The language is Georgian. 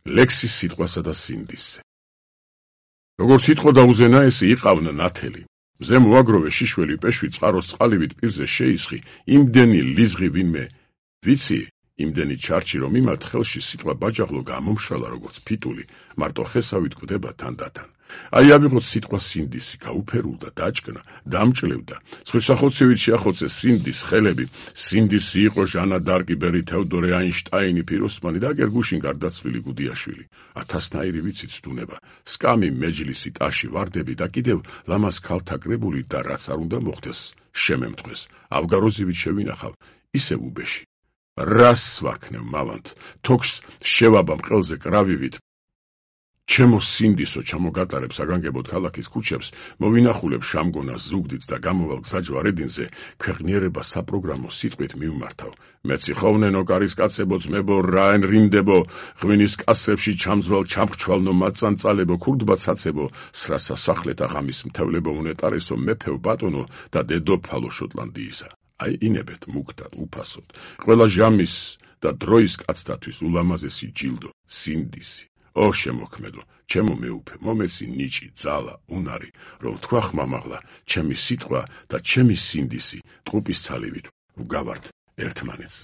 ლექსის სიტყვასა და სინდისზე. როგორც სიტყვა დაუზენა, ესე იყავნა ნათელი. მზე მოაგროვე შიშველი პეშვი წყაროს წყალივით პირზე შეისხი, იმდენი ლიზღი ვინმე, ვიცი, იმდენი ჩარჩი რომ იმათ ხელში სიტყვა ბაჯაღლო გამომშრალა როგორც ფიტული, მარტო ხესავით გვდება თანდათან. აი ავიღოთ სიტყვა სინდისი, გაუფერულდა, დაჭკნა, დამჭლევდა, სხვისახოცივით შეახოცეს სინდის ხელები, სინდისი იყო ჟანა დარკი, ბერი თეოდორე აინშტაინი, პიროსმანი და აგერ გუშინ გარდაცვლილი გუდიაშვილი. ათასნაირი ვიცით ცდუნება, სკამი, მეჯლისი, ტაში, ვარდები და კიდევ ლამაზ ქალთა კრებული და რაც არ უნდა მოხდეს, შემემთხვეს, ავგაროზივით შევინახავ, ისევ უბეში. რას ვაქნევ მავანთ, თოქს შევაბამ ყელზე კრავივით, ჩემო სინდისო ჩამოგატარებ საგანგებოდ ქალაქის ქუჩებს, მოვინახულებ შამგონას ზუგდიდს და გამოვალ გზაჯვარედინზე, ქვეყნიერება საპროგრამო სიტყვით მივმართავ. მეცი ხოვნენო კარისკაცებო ძმებო, რაენ რიმდებო, ღვინის კასებში ჩამძვალ ჩამხჩვალნო მაწანწალებო, ქურდბაცაცებო, სრა სასახლეთა ღამის მთევლებო უნეტარესო, მეფევ ბატონო და დედოფალო შოტლანდიისა. აი ინებეთ მუქდად, უფასოდ, ყველა ჟამის და დროის კაცთათვის ულამაზესი ჯილდო, სინდისი. ო შემოქმედო, ჩემო მეუფე, მომეცი ნიჭი, ძალა, უნარი, რომ თქვა ხმამაღლა, ჩემი სიტყვა და ჩემი სინდისი, ტყუპის ცალივით, ვგავართ ერთმანეთს.